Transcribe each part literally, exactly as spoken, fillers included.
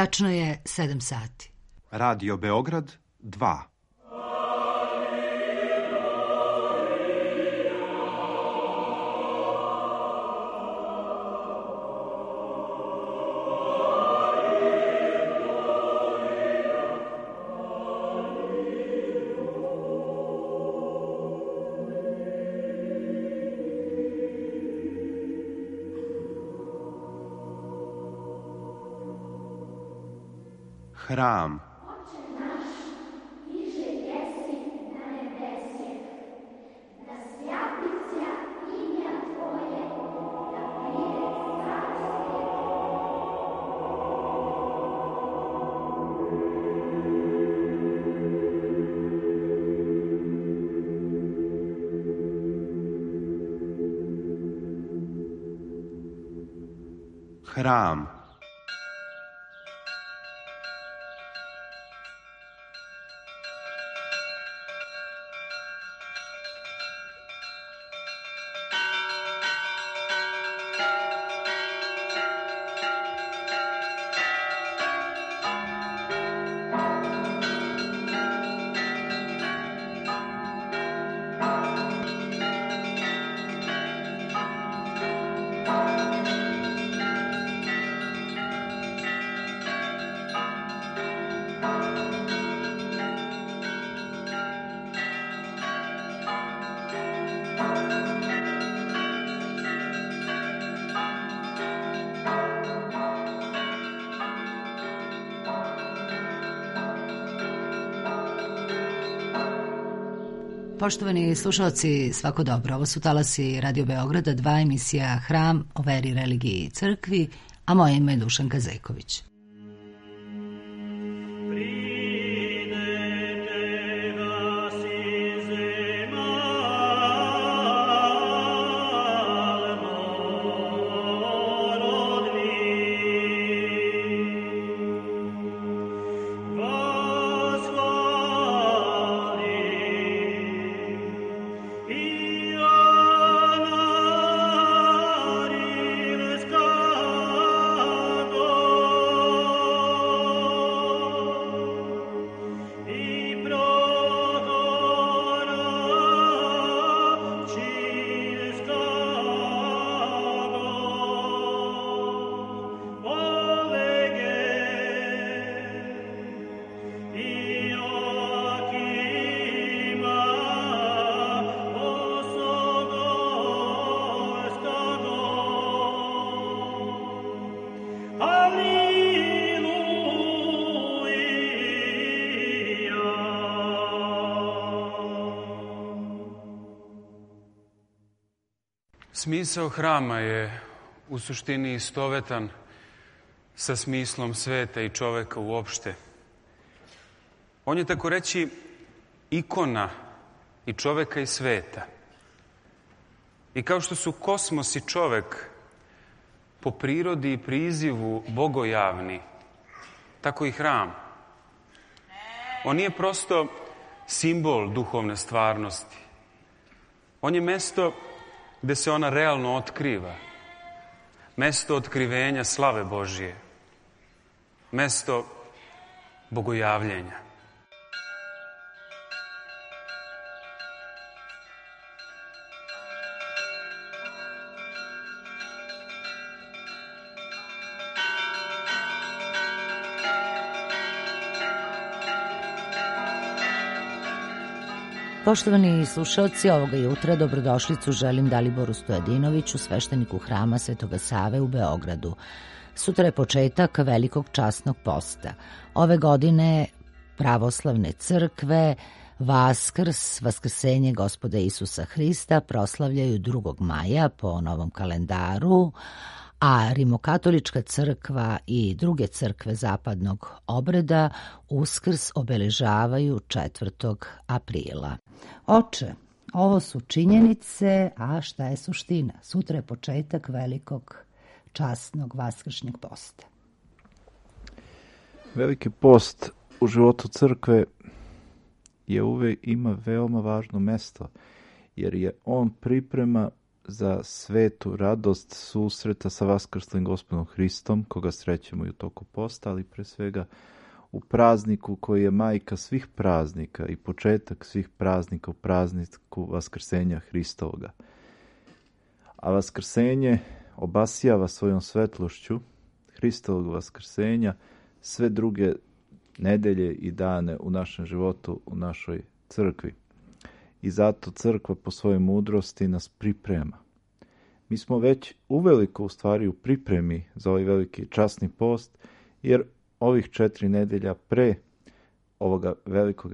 Tačno je sedam sati. Radio Beograd dva. Hram. Oče naš, iže jesi na nebesje, da svjati sja imja Tvoje, da pride carstvo. Hram. Poštovani slušalci, svako dobro. Ovo su talasi Radio Beograda, dva emisija Hram o veri, religiji i crkvi, a moje ime je Dušanka Zeković. Smisao hrama je u suštini istovetan sa smislom sveta i čoveka uopšte. On je tako reći ikona i čoveka i sveta. I kao što su kosmos i čovek po prirodi i prizivu bogojavni, tako i hram. On nije prosto simbol duhovne stvarnosti. On je mesto gde se ona realno otkriva. Mesto otkrivenja slave Božije. Mesto bogojavljenja. Poštovani slušalci, ovoga jutra dobrodošlicu želim Daliboru Stojadinoviću, svešteniku hrama Svetoga Save u Beogradu. Sutra je početak velikog časnog posta. Ove godine pravoslavne crkve Vaskrs, Vaskrsenje Gospoda Isusa Hrista proslavljaju drugog maja po novom kalendaru, a Rimokatolička crkva i druge crkve zapadnog obreda Uskrs obeležavaju četvrtog aprila. Oče, ovo su činjenice, a šta je suština? Sutra je početak velikog časnog vaskršnjeg posta. Veliki post u životu crkve je uvek ima veoma važno mesto, jer je on priprema za svetu radost susreta sa vaskrslim Gospodom Hristom, koga srećemo i u toku posta, ali pre svega u prazniku koji je majka svih praznika i početak svih praznika, u prazniku vaskrsenja Hristovoga. A vaskrsenje obasjava svojom svetlošću Hristovog vaskrsenja sve druge nedelje i dane u našem životu, u našoj crkvi. I zato crkva po svojoj mudrosti nas priprema. Mi smo već uveliko u stvari u pripremi za ovaj veliki časni post, jer ovih četiri nedelja pre ovoga velikog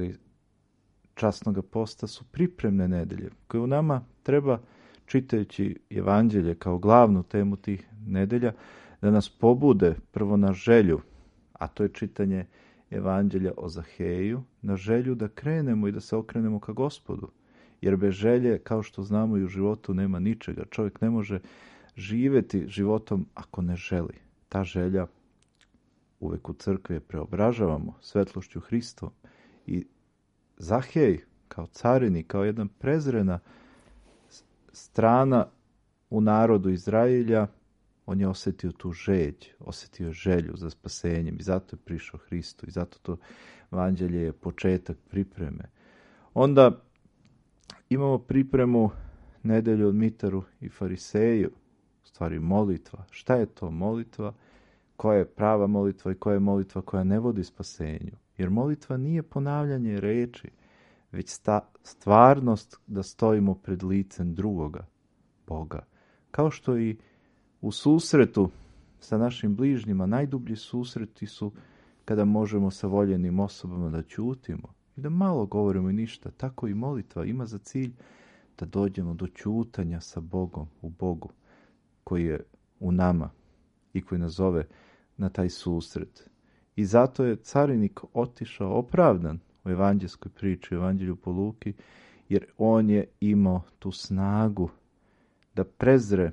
časnog posta su pripremne nedelje, koje u nama treba, čitajući evanđelje kao glavnu temu tih nedelja, da nas pobude prvo na želju, a to je čitanje evanđelja o Zaheju, na želju da krenemo i da se okrenemo ka Gospodu. Jer bez želje, kao što znamo, i u životu nema ničega. Čovjek ne može živjeti životom ako ne želi. Ta želja uvek u crkvi je preobražavamo svetlošću Hristovom. I Zahej, kao carinik, kao jedna prezrena strana u narodu Izraelja, on je osjetio tu žeđ, osjetio želju za spasenjem i zato je prišao Hristu i zato to evanđelje je početak pripreme. Onda imamo pripremu nedelju od Mitaru i Fariseju, u stvari molitva. Šta je to molitva? Koja je prava molitva i koja je molitva koja ne vodi spasenju? Jer molitva nije ponavljanje reči, već sta, stvarnost da stojimo pred licem drugoga, Boga. Kao što i u susretu sa našim bližnjima, najdublji susreti su kada možemo sa voljenim osobama da ćutimo i da malo govorimo i ništa. Tako i molitva ima za cilj da dođemo do ćutanja sa Bogom, u Bogu, koji je u nama i koji nas zove na taj susret. I zato je carinik otišao opravdan u evanđelskoj priči, u evanđelju po Luki, jer on je imao tu snagu da prezre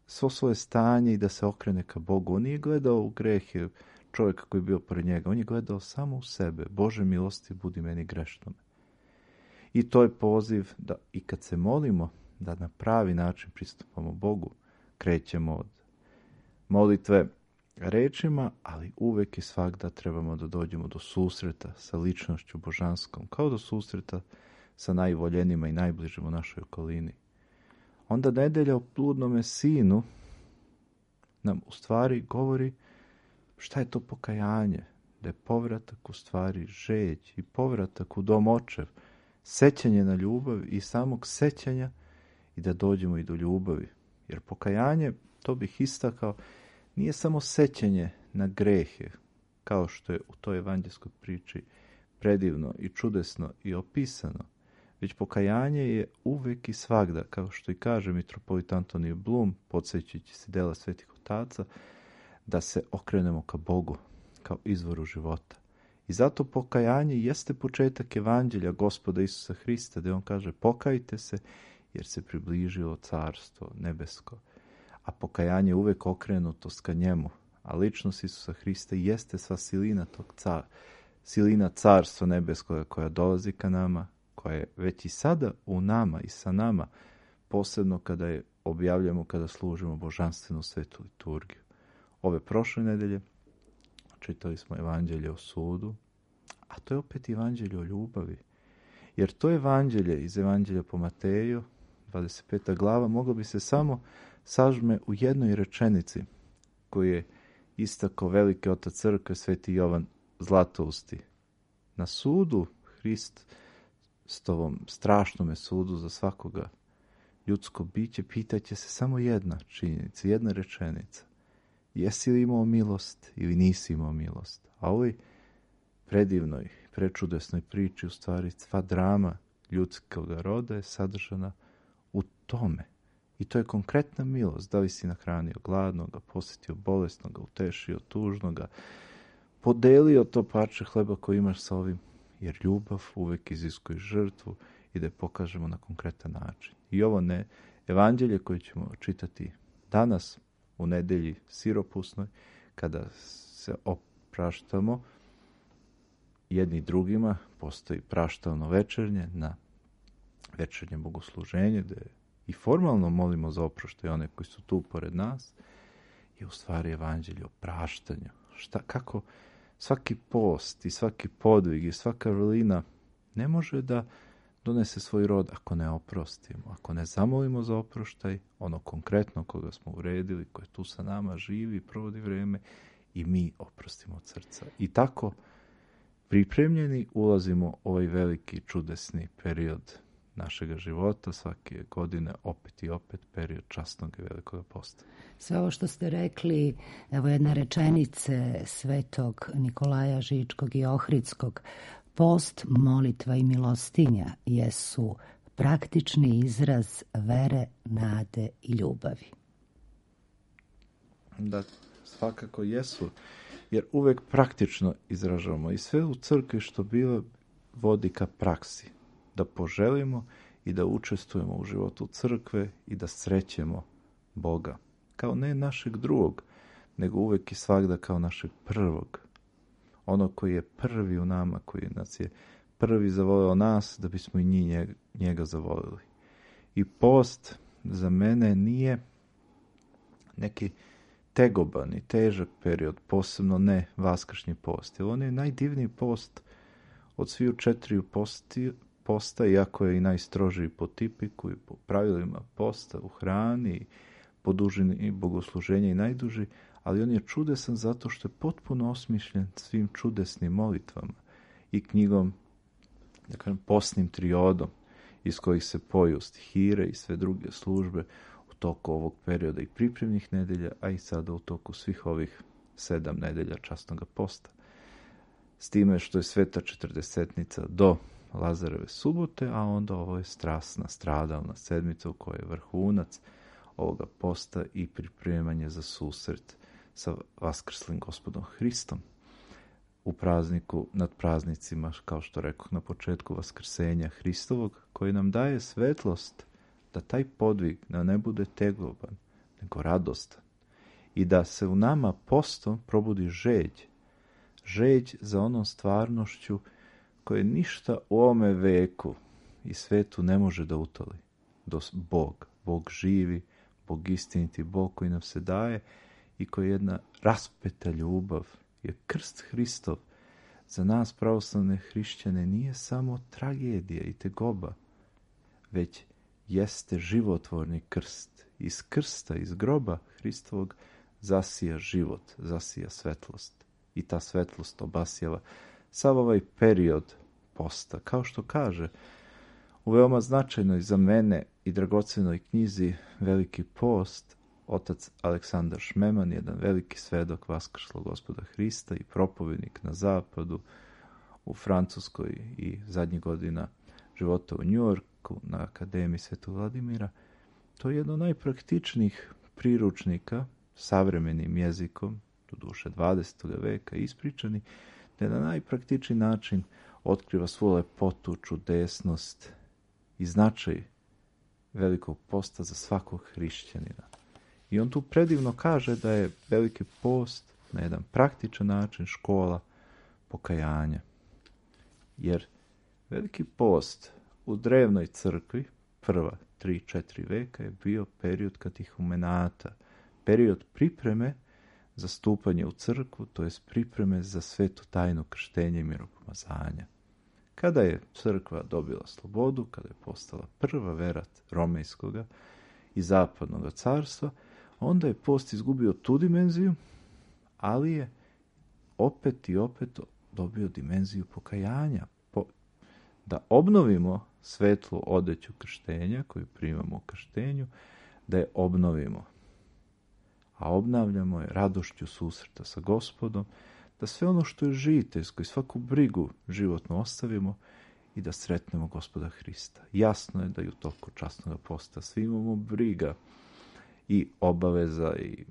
svo svoje stanje i da se okrene ka Bogu. On nije gledao u grehe čovjeka koji je bio pored njega. On je gledao samo u sebe. Bože milosti, budi meni grešnome. I to je poziv da i kad se molimo, da na pravi način pristupamo Bogu. Krećemo od molitve rečima, ali uvek i svakda trebamo da dođemo do susreta sa ličnošću božanskom, kao do susreta sa najvoljenima i najbližim u našoj okolini. Onda nedelja o pludnome sinu nam u stvari govori šta je to pokajanje, da je povratak u stvari žeđ i povratak u dom očev, sećanje na ljubav i samog sećanja i da dođemo i do ljubavi. Jer pokajanje, to bih istakao, nije samo sećanje na grehe, kao što je u toj evanđelskoj priči predivno i čudesno i opisano, već pokajanje je uvek i svagda, kao što i kaže mitropolit Antonije Blum, podsjećajući se dela svetih otaca, da se okrenemo ka Bogu, kao izvoru života. I zato pokajanje jeste početak evanđelja Gospoda Isusa Hrista, gdje on kaže pokajte se, jer se približilo carstvo nebesko. A pokajanje je uvek okrenutost ka njemu, a ličnost Isusa Hrista jeste sva silina tog car, silina carstva nebeskoga koja dolazi ka nama, koja je već i sada u nama i sa nama, posebno kada je objavljamo, kada služimo božanstvenu svetu liturgiju. Ove prošle nedelje čitali smo evanđelje o sudu, a to je opet evanđelje o ljubavi. Jer to evanđelje iz evanđelja po Mateju, dvadeset peta glava, moglo bi se samo sažme u jednoj rečenici koju je istakao veliki otac crkve sveti Jovan Zlatousti. Na sudu Hrist, stovom strašnome sudu za svakoga ljudsko biće, pitaće se samo jedna činjenica, jedna rečenica. Jesi li imao milost ili nisi imao milost? A ovoj predivnoj, prečudesnoj priči, u stvari sva drama ljudskog roda je sadržana u tome. I to je konkretna milost. Da li si nahranio gladnoga, posjetio bolesnoga, utešio tužnoga, podelio to parče hleba koje imaš sa ovim, jer ljubav uvek iziskuje žrtvu i da je pokažemo na konkretan način. I ovo ne evanđelje koje ćemo čitati danas u nedelji siropusnoj, kada se opraštamo jedni drugima, postoji praštalno večernje na večernje bogosluženje, da i formalno molimo za oproštaj one koji su tu pored nas, je u stvari evanđelje o praštanju. Šta, kako svaki post i svaki podvig i svaka vrlina ne može da donese svoj rod ako ne oprostimo, ako ne zamolimo za oproštaj, ono konkretno koga smo uredili, koje tu sa nama živi, provodi vreme, i mi oprostimo od srca. I tako pripremljeni ulazimo u ovaj veliki čudesni period našega života, svake godine opet i opet period časnog i velikog posta. Sve ovo što ste rekli, evo jedna rečenice svetog Nikolaja Žičkog i Ohridskog, post, molitva i milostinja jesu praktični izraz vere, nade i ljubavi. Da, svakako jesu, jer uvek praktično izražavamo i sve u crkvi što bilo vodi ka praksi, da poželimo i da učestvujemo u životu crkve i da srećemo Boga, kao ne našeg drugog, nego uvek i svagda kao našeg prvog, ono koji je prvi u nama, koji nas je prvi zavoleo nas, da bismo i njega, njega zavolili. I post za mene nije neki tegoban i težak period, posebno ne vaskršnji post, jer on je najdivniji post od sviju četiri posti, posta, iako je i najstrožiji po tipiku i po pravilima posta u hrani, po dužini bogosluženja i najduži, ali on je čudesan zato što je potpuno osmišljen svim čudesnim molitvama i knjigom, da kažem, postnim triodom, iz kojih se poju stihire i sve druge službe u toku ovog perioda i pripremnih nedelja, a i sada u toku svih ovih sedam nedelja časnog posta. S time što je sveta četrdesetnica do Lazareve subote, a onda ovo je strasna, stradalna sedmica u kojoj je vrhunac ovoga posta i pripremanje za susret sa vaskrslim Gospodom Hristom u prazniku nad praznicima, kao što rekoh na početku, vaskrsenja Hristovog, koji nam daje svetlost da taj podvig da ne bude tegoban, nego radostan i da se u nama postom probudi žeđ, žeđ za onom stvarnošću koje ništa u ovome veku i svetu ne može da utoli. Do Bog, Bog živi, Bog istiniti, Bog koji nam se daje i koji je jedna raspeta ljubav, jer krst Hristov za nas pravoslavne hrišćane nije samo tragedija i tegoba, već jeste životvorni krst. Iz krsta, iz groba Hristovog zasija život, zasija svetlost. I ta svetlost obasjava sav ovaj period posta. Kao što kaže u veoma značajnoj za mene i dragocenoj knjizi Veliki post, otac Aleksandar Šmeman, jedan veliki svedok vaskrslog Gospoda Hrista i propovednik na zapadu, u Francuskoj i zadnjih godina života u Njujorku na Akademiji Svetog Vladimira. To je jedno od najpraktičnijih priručnika savremenim jezikom, doduše dvadesetog veka, ispričani, da na najpraktičniji način otkriva svu lepotu, čudesnost i značaj velikog posta za svakog hrišćanina. I on tu predivno kaže da je veliki post na jedan praktičan način škola pokajanja. Jer veliki post u drevnoj crkvi, prva tri, četiri veka, je bio period katehumenata, period pripreme za stupanje u crkvu, to jest pripreme za svetu tajnu krštenja i miropomazanja. Kada je crkva dobila slobodu, kada je postala prva verat romejskoga i zapadnog carstva, onda je post izgubio tu dimenziju, ali je opet i opet dobio dimenziju pokajanja. Po, da obnovimo svetlu odeću krštenja koju primamo u krštenju, da je obnovimo. A obnavljamo je radošću susreta sa Gospodom, da sve ono što je žiteljsko i svaku brigu životno ostavimo i da sretnemo Gospoda Hrista. Jasno je da i u toku časnog posta svi imamo briga i obaveza i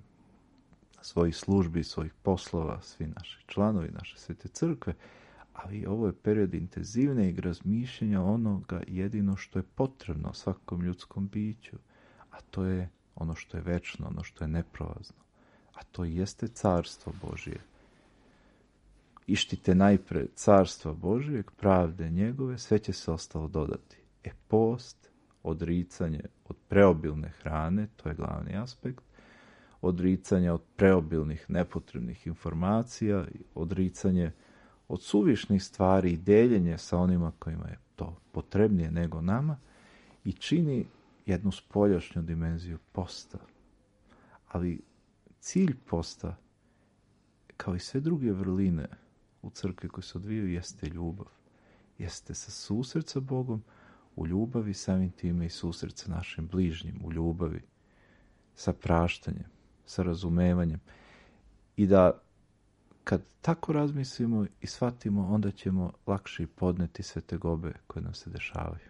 svojih službi, svojih poslova, svi naši članovi naše svete crkve, ali ovo je period intenzivnijeg razmišljanja onoga jedino što je potrebno svakom ljudskom biću, a to je ono što je večno, ono što je neprolazno, a to jeste carstvo Božije. Ištite najpre carstva Božijeg, pravde njegove, sve će se ostalo dodati. E post, odricanje od preobilne hrane, to je glavni aspekt, odricanje od preobilnih nepotrebnih informacija, odricanje od suvišnih stvari i deljenje sa onima kojima je to potrebnije nego nama i čini jednu spoljašnju dimenziju posta. Ali cilj posta, kao i sve druge vrline u crkvi koje se odvijaju, jeste ljubav. Jeste sa susret sa Bogom, u ljubavi samim time i susret sa našim bližnjim, u ljubavi, sa praštanjem, sa razumevanjem. I da kad tako razmislimo i shvatimo, onda ćemo lakše podneti sve tegobe koje nam se dešavaju.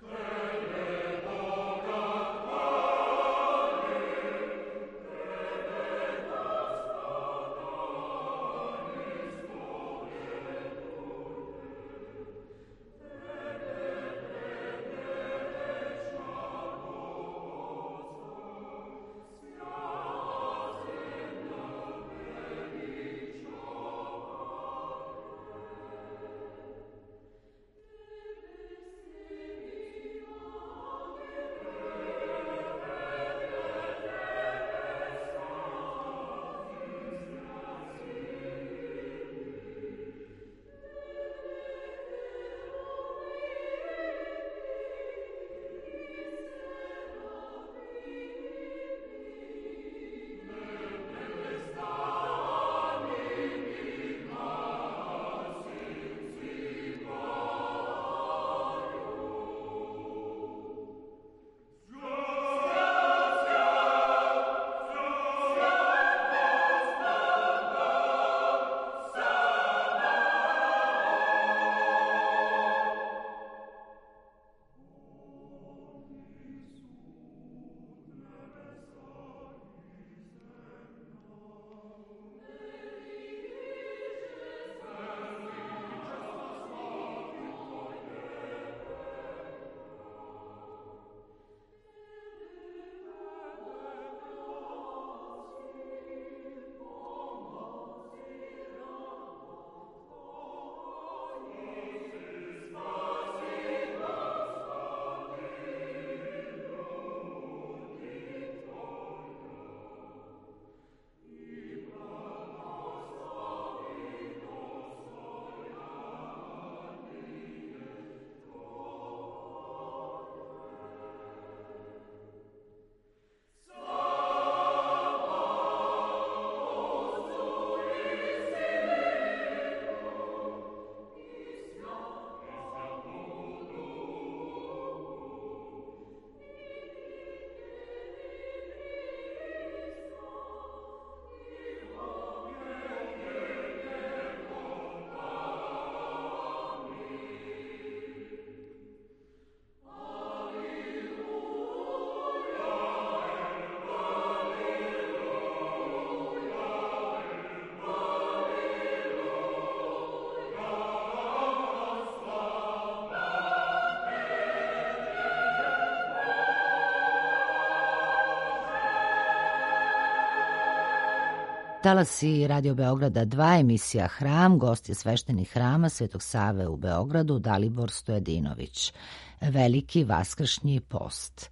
Talasi Radio Beograda dva, emisija Hram, gost je sveštenik hrama Svetog Save u Beogradu, Dalibor Stojadinović. Veliki vaskršnji post.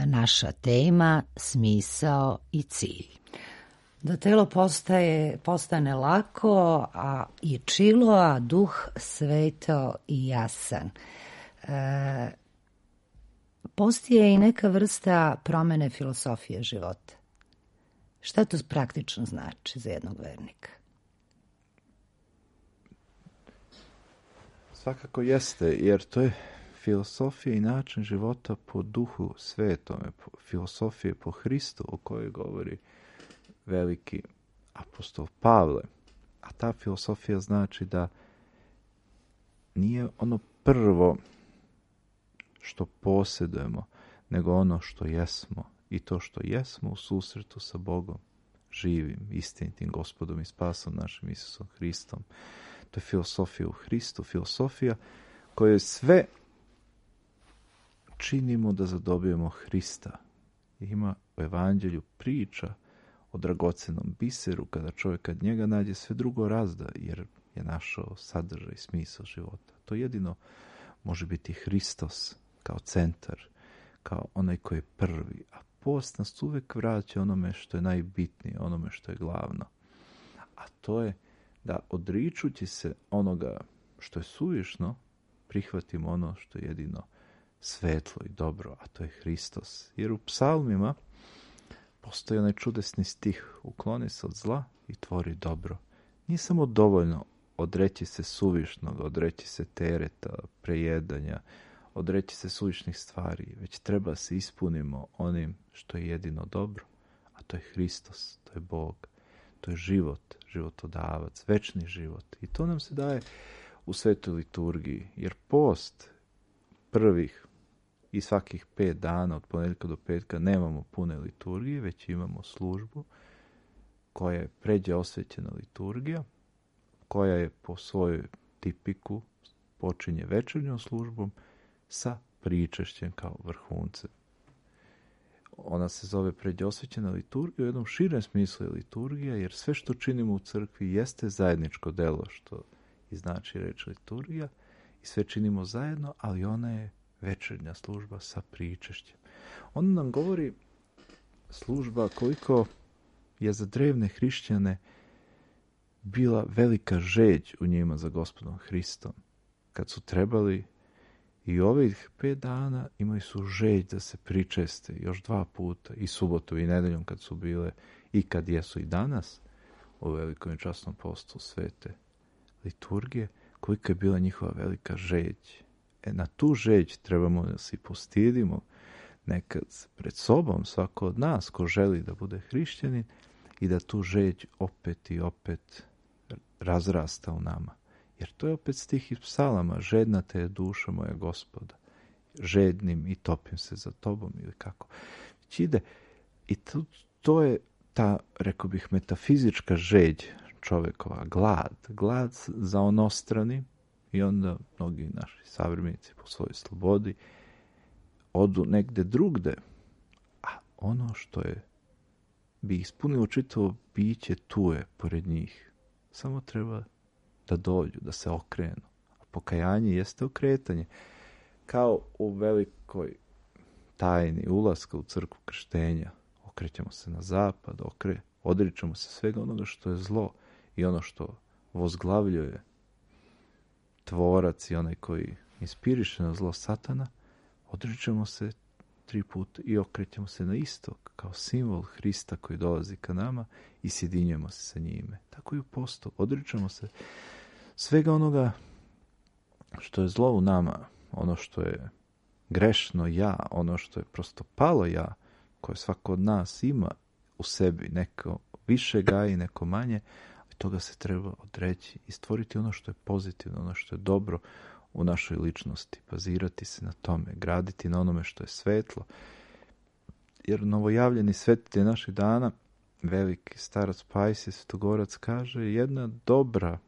Naša tema, smisao i cilj. Da telo postaje, postane lako a i čilo, a duh sveto i jasan. E, post je i neka vrsta promene filosofije života. Šta to praktično znači za jednog vernika? Svakako jeste, jer to je filosofija i način života po duhu svetome, filosofije po Hristu o kojoj govori veliki apostol Pavle. A ta filosofija znači da nije ono prvo što posjedujemo, nego ono što jesmo. I to što jesmo u susretu sa Bogom, živim, istinitim Gospodom i spasom našim Isusom Hristom. To je filosofija u Hristu, filosofija koju sve činimo da zadobijemo Hrista. Ima u Evanđelju priča o dragocenom biseru, kada čovjek kad njega nađe, sve drugo razda, jer je našao sadržaj, smisao života. To jedino može biti Hristos kao centar, kao onaj koji je prvi. A post nas uvijek vraća onome što je najbitnije, onome što je glavno. A to je da odričući se onoga što je suvišno, prihvatimo ono što je jedino svetlo i dobro, a to je Hristos. Jer u psalmima postoji onaj čudesni stih: ukloni se od zla i tvori dobro. Nije samo dovoljno odreći se suvišnog, odreći se tereta, prejedanja, odreći se suvišnih stvari, već treba se ispunimo onim što je jedino dobro, a to je Hristos, to je Bog, to je život, životodavac, večni život. I to nam se daje u svetoj liturgiji, jer post prvih i svakih pet dana, od ponedjeljka do petka, nemamo pune liturgije, već imamo službu koja je pređe osvećena liturgija, koja je po svojoj tipiku počinje večernjom službom sa pričešćem kao vrhuncem. Ona se zove pređe osvećena liturgija, u jednom širem smislu je liturgija, jer sve što činimo u crkvi jeste zajedničko delo, što i znači reč liturgija, i sve činimo zajedno, ali ona je večernja služba sa pričešćem. Ona nam govori služba koliko je za drevne hrišćane bila velika žeđ u njima za Gospodom Hristom. Kad su trebali i ovih pet dana, imali su žeđ da se pričeste još dva puta, i subotu i nedeljom kad su bile, i kad jesu i danas u velikom i časnom postu svete liturgije, kolika je bila njihova velika žeđ. E, na tu žeđ trebamo da se postidimo nekad pred sobom, svako od nas ko želi da bude hrišćanin, i da tu žeđ opet i opet razrasta u nama. Jer to je opet stih iz psalama: žedna te je duša moja Gospoda, žednim i topim se za tobom, ili kako. Već ide. I to, to je ta, rekao bih, metafizička žeđ čovjekova, glad. Glad za onostrani, i onda mnogi naši savremenici po svojoj slobodi odu negde drugde. A ono što je bi ispunilo čitavo biće tu je pored njih. Samo treba da dođu, da se okrenu. A pokajanje jeste okretanje. Kao u velikoj tajni ulaska u crkvu krštenja. Okrećemo se na zapad, okre, odričemo se svega onoga što je zlo i ono što vozglavljuje tvorac i onaj koji inspiriše na zlo Satana. Odričemo se tri puta i okrećemo se na istok kao simbol Hrista koji dolazi ka nama i sjedinjujemo se sa njime. Tako i u postu. Odričemo se svega onoga što je zlo u nama, ono što je grešno ja, ono što je prosto palo ja, koje svako od nas ima u sebi, neko više gaji, neko manje, ali toga se treba odreći i stvoriti ono što je pozitivno, ono što je dobro u našoj ličnosti, bazirati se na tome, graditi na onome što je svetlo. Jer novojavljeni svetitelj naših dana, veliki starac Pajsije Svetogorac, kaže: jedna dobra,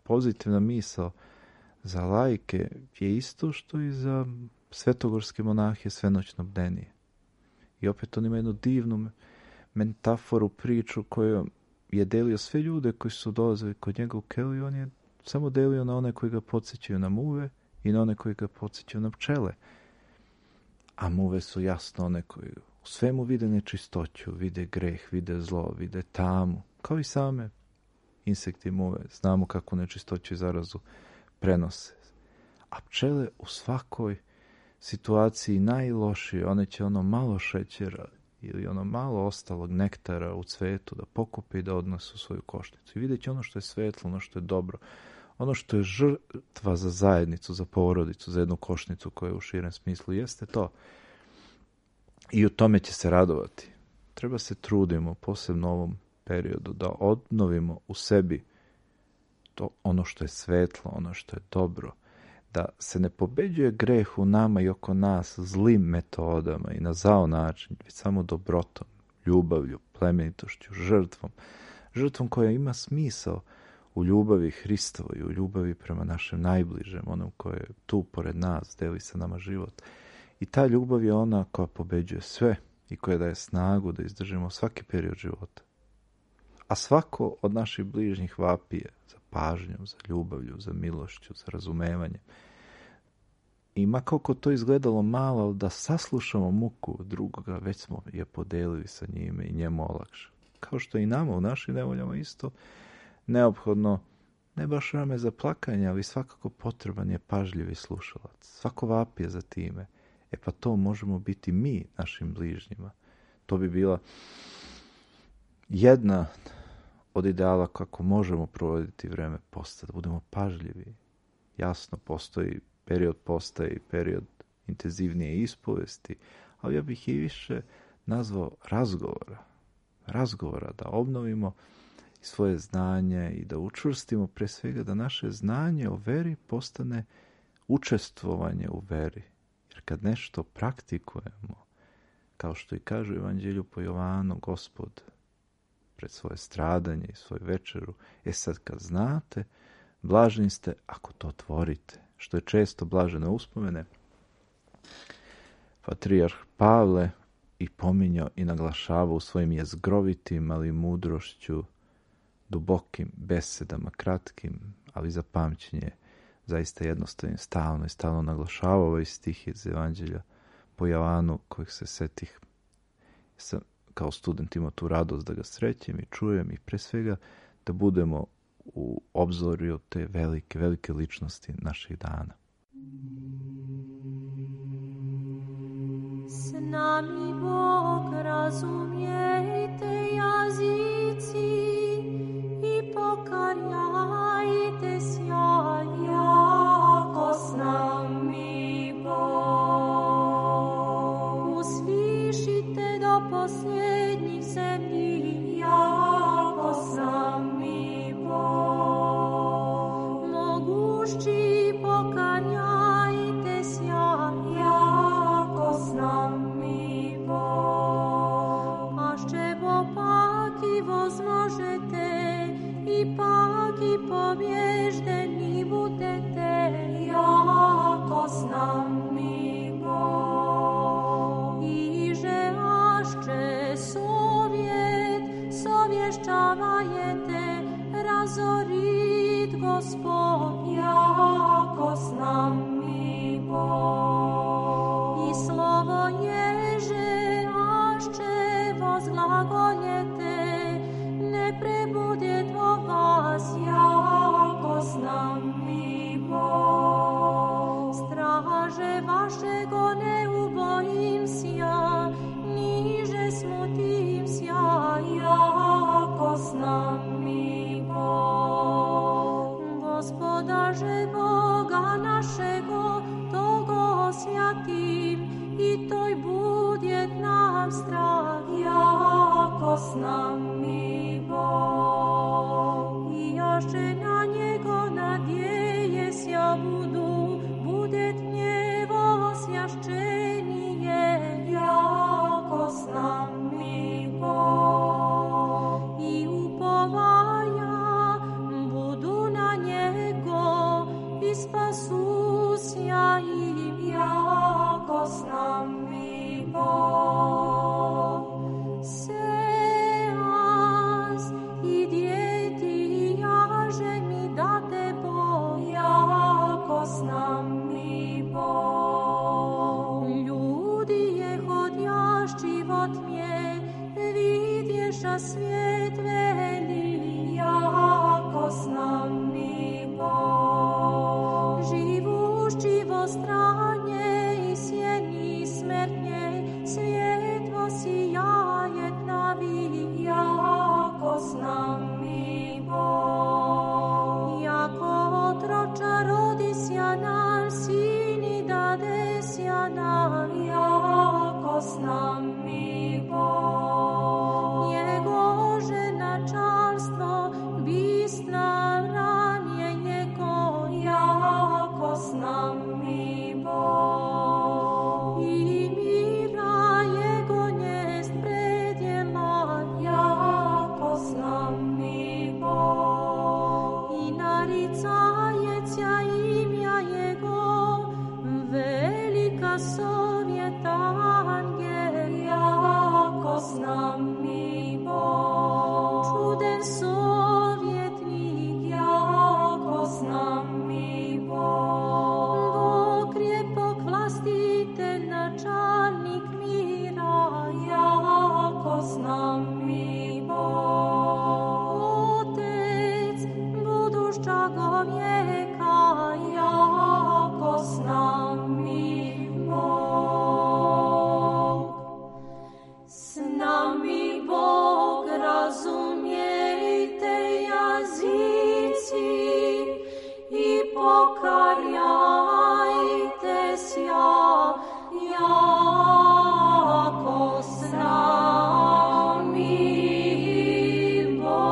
pozitivna misao za laike je isto što i za svetogorske monahe svenoćno bdenije. I opet on ima jednu divnu metaforu, priču koju je delio sve ljude koji su dolazili kod njega u keliju. On je samo delio na one koji ga podsjećaju na muve i na one koji ga podsjećaju na pčele. A muve su jasno one koji u svemu vide nečistoću, vide greh, vide zlo, vide tamu. Kao i same insekti muve. Znamo kako nečistoću i zarazu prenose. A pčele u svakoj situaciji najlošije, one će ono malo šećera ili ono malo ostalog nektara u cvetu da pokupe i da odnose u svoju košnicu. I vidjet će ono što je svetlo, ono što je dobro, ono što je žrtva za zajednicu, za porodicu, za jednu košnicu koja u širem smislu jeste to. I u tome će se radovati. Treba se trudimo, posebno u ovom periodu, da obnovimo u sebi to ono što je svetlo, ono što je dobro, da se ne pobeđuje greh u nama i oko nas zlim metodama i na zao način, već samo dobrotom, ljubavlju, plemenitošću, žrtvom. Žrtvom koja ima smisao u ljubavi Hristovoj, u ljubavi prema našem najbližem, onom koje je tu pored nas, deli sa nama život. I ta ljubav je ona koja pobeđuje sve i koja daje snagu da izdržimo svaki period života. A svako od naših bližnjih vapije za pažnjom, za ljubavlju, za milošću, za razumevanjem. I ma koliko to izgledalo malo, ali da saslušamo muku drugoga, već smo je podelili sa njime i njemu olakšali. Kao što i nama u našim nevoljama isto neophodno, ne baš rame za plakanje, ali svakako potreban je pažljivi slušalac. Svako vapije za time. E pa to možemo biti mi našim bližnjima. To bi bila jedna od ideala kako možemo provoditi vreme posta, da budemo pažljivi. Jasno, postoji period posta i period intenzivnije ispovesti, ali ja bih i više nazvao razgovora. Razgovora, da obnovimo svoje znanje i da učvrstimo pre svega da naše znanje o veri postane učestvovanje u veri. Jer kad nešto praktikujemo, kao što i kaže u Evanđelju po Jovanu, Gospod pred svoje stradanje i svoju večeru, e sad kad znate, blaženi ste ako to tvorite, što je često blažene uspomene. Patrijarh Pavle i pominjao i naglašavao u svojim jezgrovitim, ali mudrošću, dubokim besedama, kratkim, ali za pamćenje, zaista jednostavnim, stalno i stalno naglašavao ovaj stih iz Evanđelja po Jovanu, kojeg se setih. Sam kao student imao tu radost da ga srećem i čujem i pre svega da budemo u obzorju te velike, velike ličnosti naših dana. S nami Bog, razumijete jazici i pokarjajte sja, jako s nami Bog. Uslišite do posljednjih zemlji, jako s nami Bog. Mogući pokarjajte sja, jako s nami Bog. Ašće bo paki возможete i paki pobježdeni budete, jako s nami Bog. Iže ašće sovjet sovješćavajete, razorit Gospod, jako s nami Bog. I slovo ježe ašće vozglagoljete, ne prebudjet vo vas, jako s nami Bog. Straže vašego ne ubojim sja, niže smutim sja, jako s nami Bog. Gospodaže Boga našego, togo osjatim i toj budjet nam strah, jako s nami Bog. I jaše na njego nadjeje sja budu, budjet njevo osjašćenije, jako s nami Bog. I upovaja budu na njego i spasu sja im, jako s nami Bog. Seas i djeti jaže mi date Bog, jako s nami Bog. Ljudi je hodjašći vo tmje, vidješa svijet veli, jako s nami Bog. Živušći vo stranje i sjeni smrtnje, svjetlo sijajet navi, jako s nami Bog. Jako otroča rodisja nam, sini dadesja nam, jako s nami Bog. Njegože načalstvo, bisna ranje njego, jako s nami Bog. I mira jego njest predjela, jako s nami Bog. I naricajecja imja jego, velika sovjeta angel, jako s nami Bog. Čuden sovjetnik, jako s nami Bog. Bog krepog dušćago vijeka, jako s nami Bog. S nami Bog, razumijte jazici i pokajajte sja, jako s nami Bog.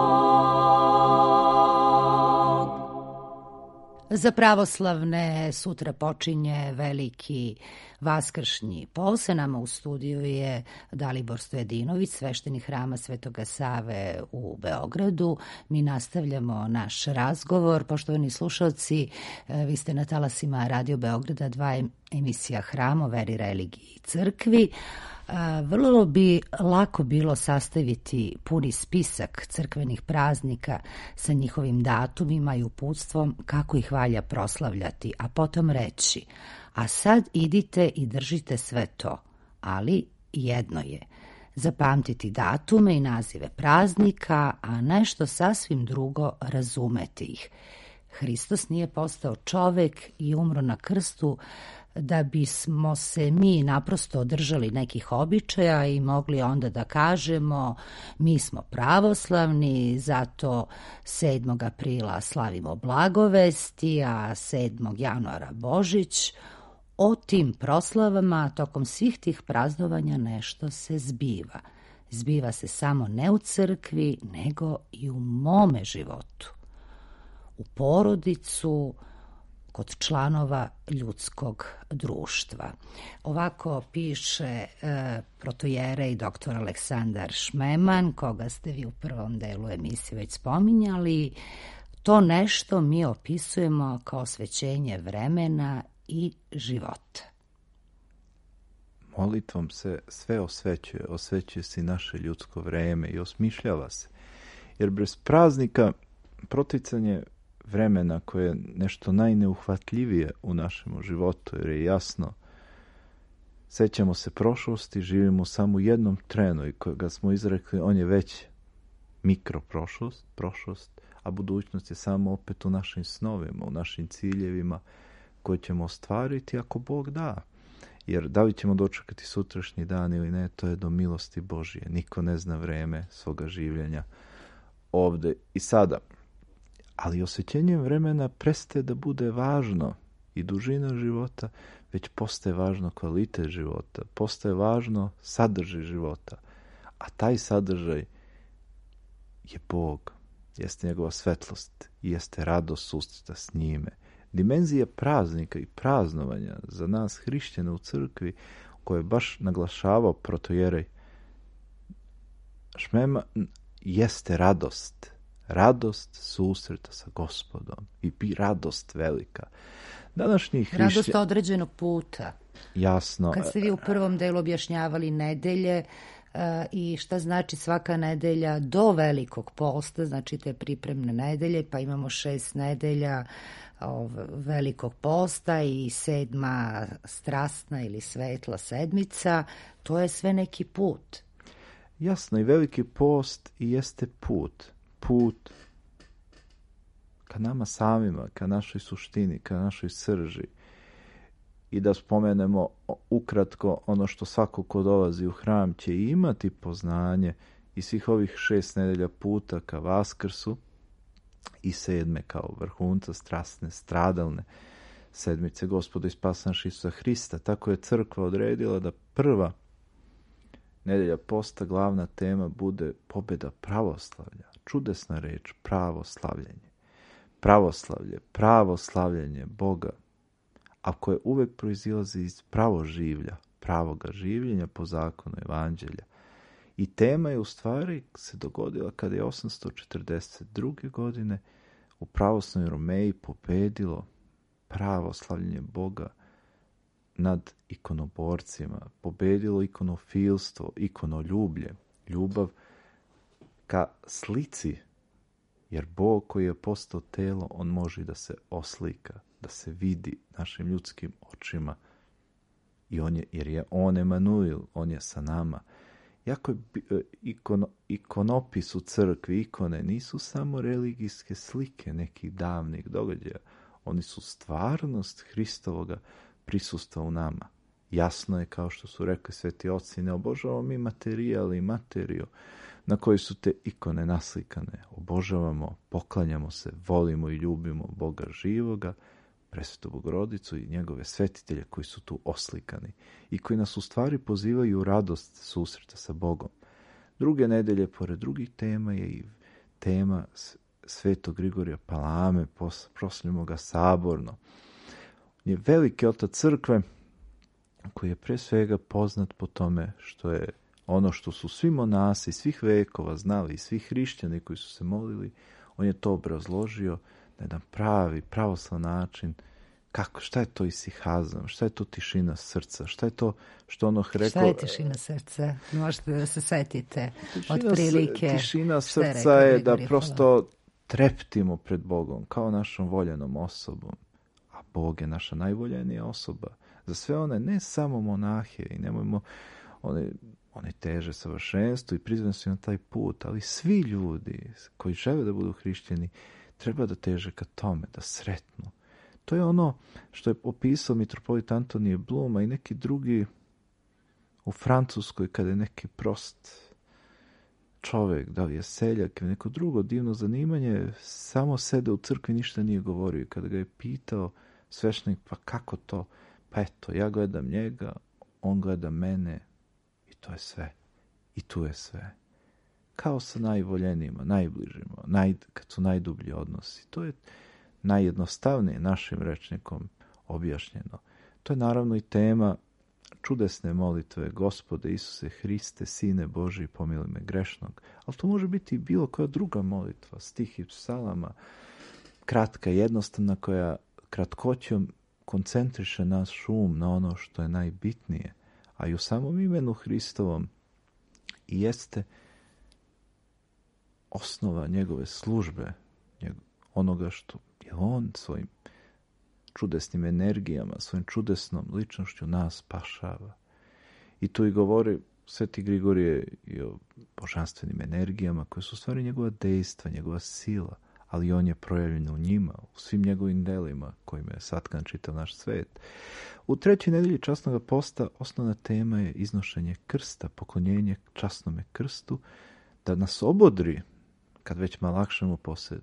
Za pravoslavne sutra počinje veliki vaskršnji post. Nama u studiju je Dalibor Stojadinović, sveštenik Hrama Svetoga Save u Beogradu. Mi nastavljamo naš razgovor. Poštovani slušalci, vi ste na talasima Radio Beograda, dva emisija Hram o veri, religiji i crkvi. Vrlo bi lako bilo sastaviti puni spisak crkvenih praznika sa njihovim datumima i uputstvom kako ih valja proslavljati, a potom reći: a sad idite i držite sve to, ali jedno je zapamtiti datume i nazive praznika, a nešto sasvim drugo razumeti ih. Hristos nije postao čovek i umro na krstu da bismo se mi naprosto održali nekih običaja i mogli onda da kažemo mi smo pravoslavni, zato sedmog aprila slavimo blagovesti, a sedmog januara Božić. O tim proslavama tokom svih tih praznovanja nešto se zbiva. Zbiva se samo ne u crkvi, nego i u mome životu. U porodicu, kod članova ljudskog društva. Ovako piše e, protojerej doktor Aleksandar Šmeman, koga ste vi u prvom delu emisije već spominjali. To nešto mi opisujemo kao svećenje vremena i života. Molitvom se sve osvećuje, osvećuje se i naše ljudsko vreme i osmišljava se. Jer bez praznika proticanje vremena koje je nešto najneuhvatljivije u našem životu, jer je jasno, sećamo se prošlosti, živimo samo u jednom trenu i kojega smo izrekli, on je već mikroprošlost, prošlost, a budućnost je samo opet u našim snovima, u našim ciljevima koje ćemo ostvariti ako Bog da. Jer da li ćemo dočekati sutrašnji dan ili ne, to je do milosti Božije. Niko ne zna vreme svoga življenja ovde i sada. Ali osvećenjem vremena prestaje da bude važno i dužina života, već postaje važno kvalitet života, postaje važno sadržaj života. A taj sadržaj je Bog, jeste njegova svetlost i jeste radost susreta s njime. Dimenzija praznika i praznovanja za nas hrišćane u crkvi, koje je baš naglašavao protojerej Šmeman, jeste radost. Radost susreta sa Gospodom i radost velika. Današnji hrišćan... Radost određenog puta. Jasno. Kad ste vi u prvom delu objašnjavali nedelje uh, i šta znači svaka nedelja do velikog posta, znači te pripremne nedelje, pa imamo šest nedelja ov, velikog posta i sedma strasna ili svetla sedmica, to je sve neki put. Jasno, i veliki post i jeste put. Put ka nama samima, ka našoj suštini, ka našoj srži. I da spomenemo ukratko ono što svako ko dolazi u hram će imati poznanje i svih ovih šest nedelja puta ka Vaskrsu i sedme kao vrhunca strasne, stradalne sedmice Gospoda i Spasa naša Isusa Hrista. Tako je crkva odredila da prva nedelja posta, glavna tema bude pobjeda pravoslavlja. Čudesna reč, pravoslavljenje. Pravoslavlje, pravoslavljenje Boga, a koje uvek proizilazi iz pravoživlja, pravoga življenja po zakonu evanđelja. I tema je u stvari se dogodila kada je osamsto četrdeset druge godine u pravoslavnoj Romeji pobedilo pravoslavljenje Boga nad ikonoborcima, pobedilo ikonofilstvo, ikonoljublje, ljubav ka slici, jer Bog koji je postao telo, on može da se oslika, da se vidi našim ljudskim očima, i on je, jer je on Emanuil, on je sa nama. jako je ikono, ikonopis u crkvi, ikone nisu samo religijske slike nekih davnih događaja. Oni su stvarnost Hristovoga prisustva u nama. Jasno je, kao što su rekli sveti oci, ne obožavamo mi materijal i materiju na koji su te ikone naslikane. Obožavamo, poklanjamo se, volimo i ljubimo Boga živoga, Presvetu Bogorodicu i njegove svetitelje koji su tu oslikani i koji nas u stvari pozivaju u radost susreta sa Bogom. Druge nedelje, pored drugih tema, je i tema Svetog Grigorija Palame, proslavljamo ga saborno. On je veliki otac crkve koji je pre svega poznat po tome što je ono što su svi monasi svih vekova znali i svi hrišćani koji su se molili, on je to obrazložio na jedan pravi, pravoslav način. Kako, šta je to isihazam, šta je to tišina srca, šta je to što ono rekao... Šta je tišina srca? Možete da se setite od prilike. Tišina srca je, je da prosto treptimo pred Bogom, kao našom voljenom osobom. A Bog je naša najvoljenija osoba. Za sve one, ne samo monahe, i nemojmo, one, one teže savršenstvo i prizvani su na taj put, ali svi ljudi koji žele da budu hrišćani, treba da teže ka tome, da sretnu. To je ono što je opisao mitropolit Antonije Bluma i neki drugi u Francuskoj, kada je neki prost čovjek, da li je seljak ili neko drugo divno zanimanje, samo sede u crkvi, ništa nije govorio. Kada ga je pitao sveštenik, pa kako to? Pa eto, ja gledam njega, on gleda mene i to je sve. I tu je sve. Kao sa najvoljenijima, najbližima, naj, kad su najdublji odnosi. To je najjednostavnije našim rečnikom objašnjeno. To je naravno i tema čudesne molitve Gospode Isuse Hriste, Sine Božji, pomiluj me grešnog. Ali to može biti i bilo koja druga molitva, stih iz psalama, kratka, jednostavna, koja kratkoćom koncentriše naš um na ono što je najbitnije, a i u samom imenu Hristovom i jeste osnova njegove službe, onoga što je on svojim čudesnim energijama, svojim čudesnom ličnošću nas spašava. I tu i govori Sveti Grigorije i o božanstvenim energijama koje su u stvari njegova dejstva, njegova sila, ali on je projavljen u njima, u svim njegovim delima kojima je satkan čitav naš svet. U trećoj nedelji časnog posta osnovna tema je iznošenje krsta, poklonjenje časnome krstu, da nas obodri, kad već malo lakšemo posle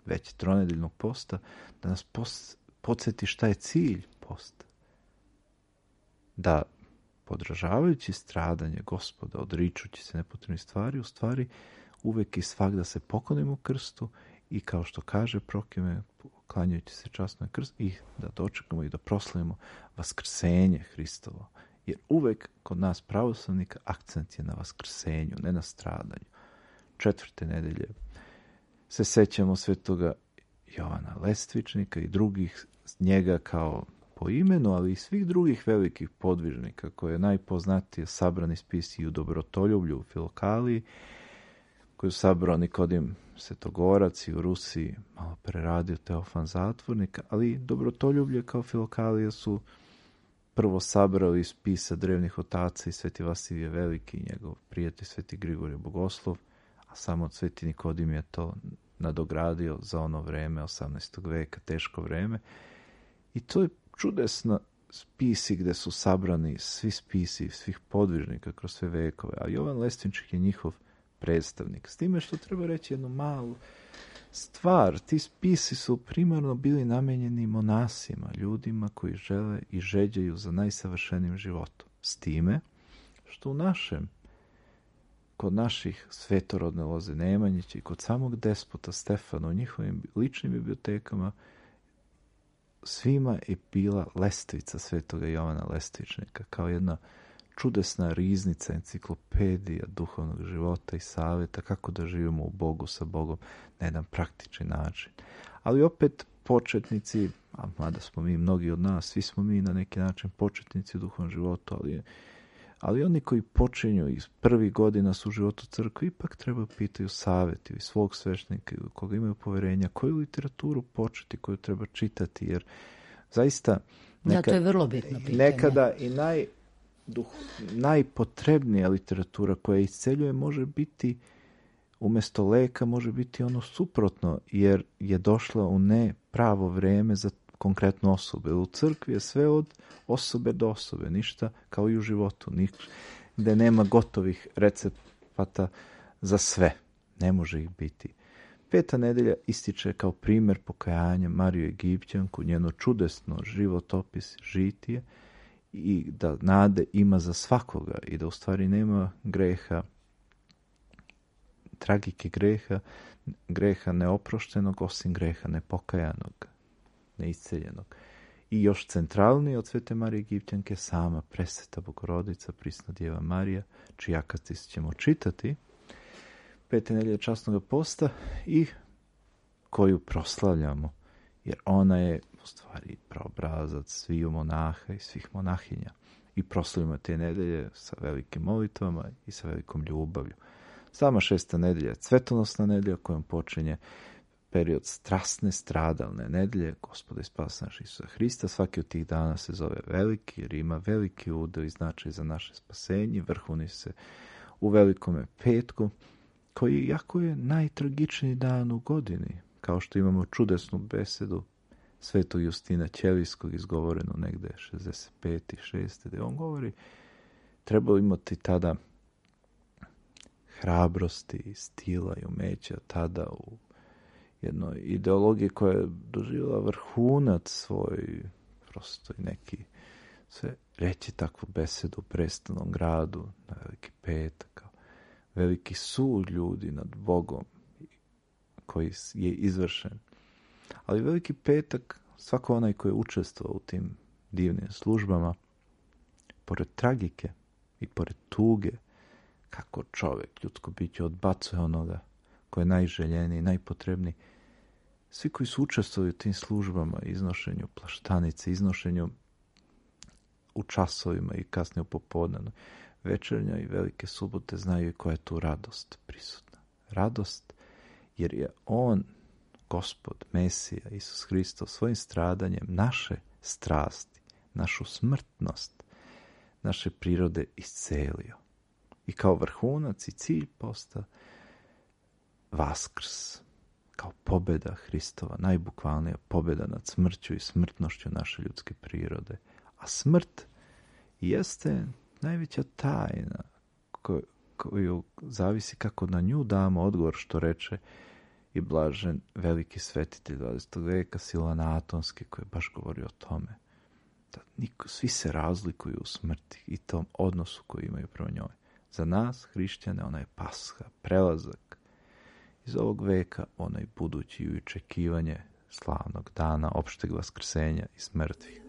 već tronedeljnog posta, da nas pos, podsjeti šta je cilj posta. Da, podražavajući stradanje Gospoda, odričući se nepotrebnih stvari, u stvari uvek i svak da se poklonimo krstu i kao što kaže Prokime, klanjajući se časno krst, i da dočekamo i da proslavimo vaskrsenje Hristovo. Jer uvek kod nas pravoslavnika akcent je na vaskrsenju, ne na stradanju. Četvrte nedelje se sećamo svetoga Jovana Lestvičnika i drugih njega kao po imenu, ali i svih drugih velikih podvižnika koje je najpoznatije sabrani spisi i u Dobrotoljublju, u Filokaliji, koju sabrao Nikodim Svetogorac i u Rusiji malo preradio Teofan Zatvornik, ali Dobrotoljublje kao Filokalija su prvo sabrali iz spisa drevnih otaca i Sveti Vasilije Veliki i njegov prijatelj Sveti Grigorije Bogoslov, a samo od Sveti Nikodim je to nadogradio za ono vreme, osamnaestog veka, teško vreme. I to je čudesno spisi gde su sabrani svi spisi svih podvižnika kroz sve vekove, a Jovan Lestvinčik je njihov predstavnik. S time što treba reći jednu malu stvar, ti spisi su primarno bili namenjeni monasima, ljudima koji žele i žeđaju za najsavršenijim životom. S time što u našem, kod naših svetorodne loze Nemanjića i kod samog despota Stefana u njihovim ličnim bibliotekama svima je bila lestvica svetoga Jovana Lestvičnika kao jedna čudesna riznica, enciklopedija duhovnog života i savjeta kako da živimo u Bogu sa Bogom na jedan praktični način. Ali opet početnici, a mada smo mi, mnogi od nas, svi smo mi na neki način početnici u duhovnom životu, ali, ali oni koji počinju iz prvih godina su u životu crkve, ipak treba pitaju savjeti i svog sveštenika ili koga imaju poverenja, koju literaturu početi, koju treba čitati, jer zaista Neka, da, to je vrlo bitno pitanje. Nekada i naj duh, najpotrebnija literatura koja isceljuje može biti, umjesto leka, može biti ono suprotno, jer je došla u ne pravo vreme za konkretnu osobu. U crkvi je sve od osobe do osobe, ništa kao i u životu, gde nema gotovih recepata za sve. Ne može ih biti. Peta nedelja ističe kao primjer pokajanja Mariju Egipćanku, njeno čudesno životopis, žitije, i da nade ima za svakoga i da u stvari nema greha, tragike greha, greha neoproštenog osim greha nepokajanog, neisceljenog. I još centralniji od Svete Marije Egipćanke sama presveta Bogorodica, prisna Djeva Marija, čiji akatis ćemo čitati pete nedelje časnog posta i koju proslavljamo, jer ona je u stvari praobrazac sviju monaha i svih monahinja. I proslavljamo te nedelje sa velikim molitvama i sa velikom ljubavlju. Sama šesta nedelja je cvetonosna nedelja kojom počinje period strasne, stradalne nedelje Gospoda i spasa našeg Isusa Hrista. Svaki od tih dana se zove veliki, jer ima veliki udeo i značaj za naše spasenje. Vrhuni se u velikome petku, koji jako je najtragičniji dan u godini, kao što imamo čudesnu besedu Svetog Justina Ćelijskog, izgovorenu negde šezdeset pete šeste gde on govori, treba imati tada hrabrosti, stila i umeća tada u jednoj ideologiji koja je doživjela vrhunac svoj, prosto i neki, sve reći takvu besedu u prestanom gradu na veliki petak, kao veliki sud ljudi nad Bogom koji je izvršen. Ali veliki petak, svako onaj koji je učestvovao u tim divnim službama, pored tragike i pored tuge, kako čovjek, ljudsko biće, odbacuje onoga koji je najželjeniji, najpotrebniji. Svi koji su učestvovali u tim službama, iznošenju plaštanice, iznošenju u časovima i kasnije u popodnevnoj, večernja i velike subote, znaju koja je tu radost prisutna. Radost jer je on, Gospod, Mesija, Isus Hristos, svojim stradanjem naše strasti, našu smrtnost, naše prirode iscelio. I kao vrhunac i cilj posta Vaskrs, kao pobjeda Hristova, najbukvalnija pobjeda nad smrću i smrtnošću naše ljudske prirode. A smrt jeste najveća tajna koju, koju zavisi kako na nju damo odgovor, što reče i blažen veliki svetitelj dvadesetog veka Silan Atonski, koji je baš govorio o tome. Da niko, svi se razlikuju u smrti i tom odnosu koji imaju prema njoj. Za nas, hrišćane, ona je pasha, prelazak iz ovog veka, onaj budući i očekivanje slavnog dana opšteg vaskrsenja iz mrtvih.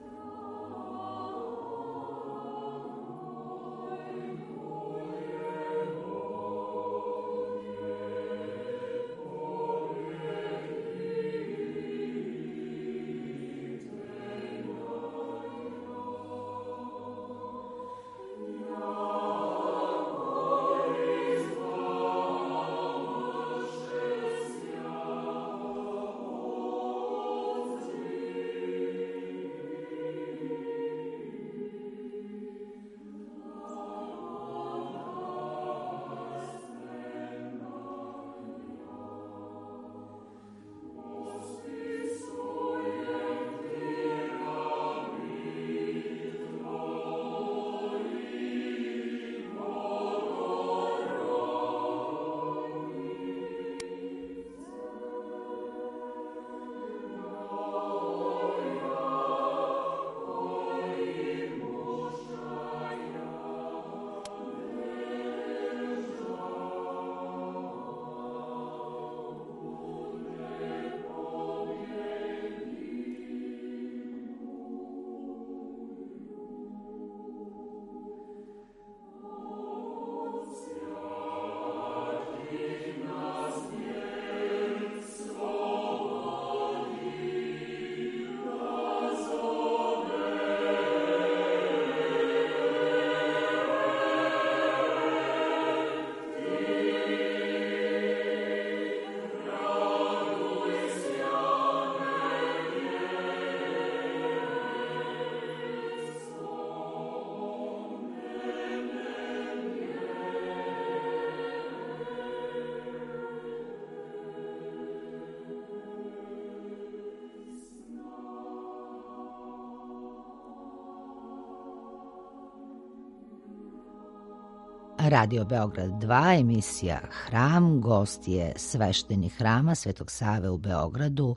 Radio Beograd dva, emisija Hram, gost je sveštenik Hrama Svetog Save u Beogradu,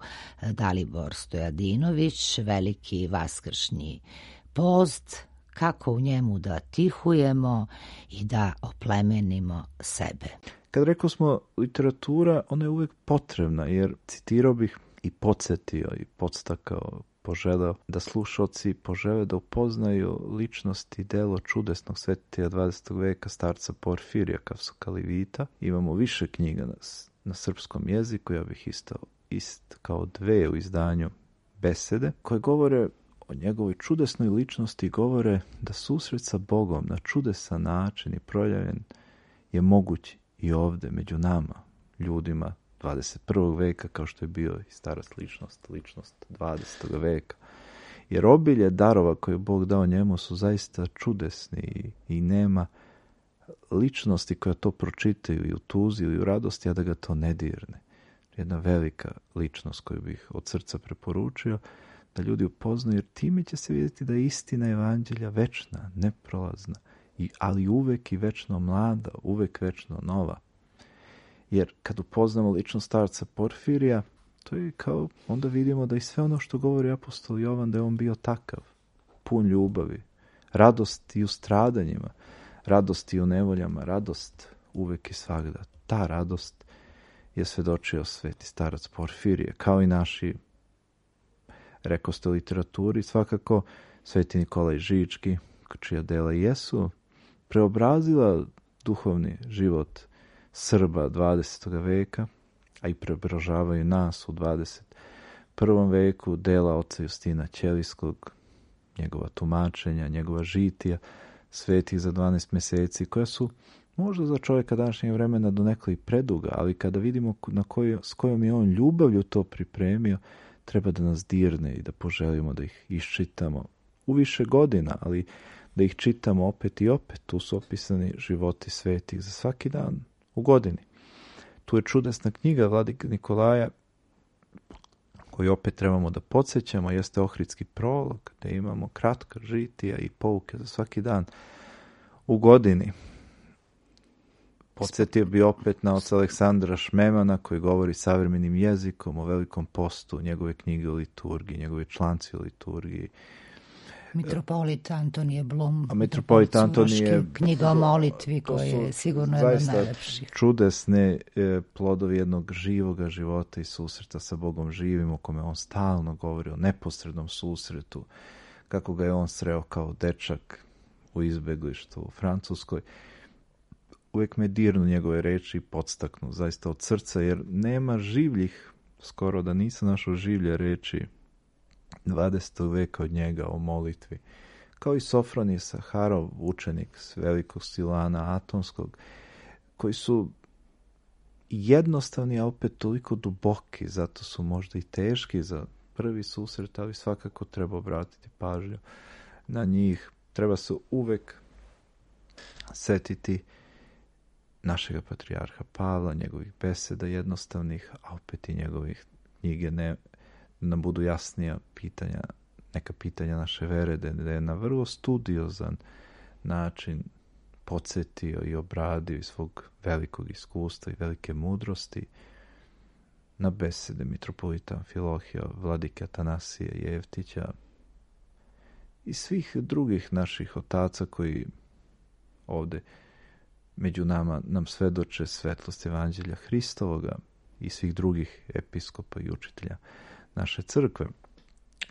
Dalibor Stojadinović, veliki vaskršnji post, kako u njemu da tihujemo i da oplemenimo sebe. Kad rekao smo literatura, ona je uvek potrebna, jer citirao bih i podsjetio i podstakao, poželeo da slušalci požele da upoznaju ličnost i delo čudesnog svetitelja dvadesetog veka, starca Porfirija Kavsokalivita. Imamo više knjiga na, na srpskom jeziku, ja bih isto ist kao dve u izdanju Besede, koje govore o njegovoj čudesnoj ličnosti, govore da susret sa Bogom na čudesan način i projavljen je moguć i ovde među nama, ljudima dvadeset prvog veka, kao što je bio i stara ličnost, ličnost dvadesetog veka. Jer obilje darova koje je Bog dao njemu su zaista čudesni i, i nema ličnosti koja to pročitaju i u tuzi ili u radosti, a da ga to ne dirne. Jedna velika ličnost koju bih od srca preporučio da ljudi upoznaju, jer time će se vidjeti da je istina evanđelja večna, neprolazna, i, ali uvek i večno mlada, uvek večno nova. Jer kad upoznamo ličnost starca Porfirija, to je kao, onda vidimo da i sve ono što govori apostol Jovan, da je on bio takav, pun ljubavi, radost i u stradanjima, radost i u nevoljama, radost uvek i svagda. Ta radost je svedočio sveti starac Porfirije, kao i naši, rekao ste, literaturi, svakako sveti Nikolaj Žički, čija dela jesu preobrazila duhovni život Srba dvadesetog veka, a i preobražavaju nas u dvadeset prvom veku, dela oca Justina Ćelijskog, njegova tumačenja, njegova žitija, svetih za dvanaest meseci, koja su možda za čovjeka današnjeg vremena donekle i preduga, ali kada vidimo na koju, s kojom je on ljubavlju to pripremio, treba da nas dirne i da poželimo da ih iščitamo u više godina, ali da ih čitamo opet i opet. Tu su opisani životi svetih za svaki dan u godini. Tu je čudesna knjiga Vladike Nikolaja, koju opet trebamo da podsjećamo, jeste Ohridski prolog, gde imamo kratka žitija i pouke za svaki dan u godini. Podsjetio bi opet na oca Aleksandra Šmemana, koji govori savremenim jezikom o velikom postu, njegove knjige o liturgiji, njegove članci o liturgiji. Mitropolit Antonije Blum, a mitropolit Antonije, knjiga o molitvi, koja je sigurno jedna od najlepših. Čudesne e, plodovi jednog živoga života i susreta sa Bogom živim, o kome on stalno govori o neposrednom susretu, kako ga je on sreo kao dečak u izbeglištu u Francuskoj. Uvijek me dirnu njegove reči i podstaknu zaista od srca, jer nema življih, skoro da nisam našao življe reči dvadesetog veka od njega o molitvi. Kao i Sofronije Saharov, učenik s velikog Silana Atonskog, koji su jednostavni, a opet toliko duboki, zato su možda i teški za prvi susret, ali svakako treba obratiti pažnju na njih. Treba se uvek setiti našega patrijarha Pavla, njegovih beseda jednostavnih, a opet i njegovih knjige, ne nam budu jasnija pitanja, neka pitanja naše vere, da je na vrlo studiozan način podsjetio i obradio iz svog velikog iskustva i velike mudrosti na besede mitropolita Amfilohija, vladike Atanasija Jevtića i svih drugih naših otaca koji ovde među nama nam svedoče svetlost evanđelja Hristovoga i svih drugih episkopa i učitelja naše crkve,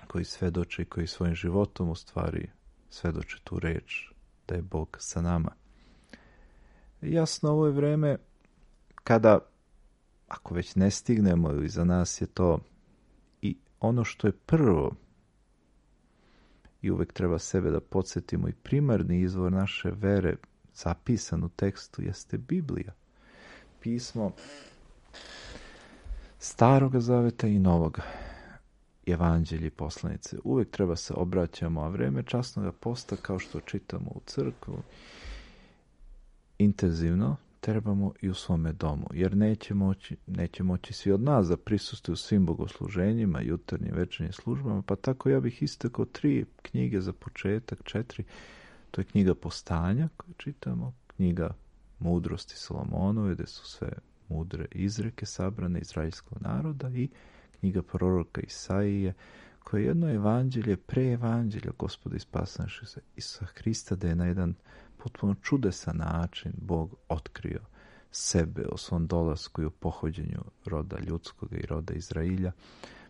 koji svedoče i koji svojim životom u stvari svedoče tu reč da je Bog sa nama. Jasno, ovo je vreme kada, ako već ne stignemo, ili za nas je to i ono što je prvo, i uvek treba sebe da podsjetimo, i primarni izvor naše vere zapisan u tekstu jeste Biblija. Pismo Staroga Zaveta i Novoga, evanđelji, poslanice. Uvek treba se obraćamo, a vreme časnoga posta, kao što čitamo u crkvu, intenzivno trebamo i u svome domu, jer neće moći, neće moći svi od nas da prisustuju svim bogosluženjima, jutarnjim, večernjim službama, pa tako ja bih istakao tri knjige za početak, četiri. To je knjiga Postanja koju čitamo, knjiga mudrosti Solomonove, gde su sve mudre izreke sabrane izraelskog naroda, i knjiga proroka Isaije, koje je jedno evanđelje pre evanđelja Gospoda i spasa našeg Isusa Hrista, da je na jedan potpuno čudesan način Bog otkrio sebe o svom dolasku i o pohođenju roda ljudskog i roda Izrailja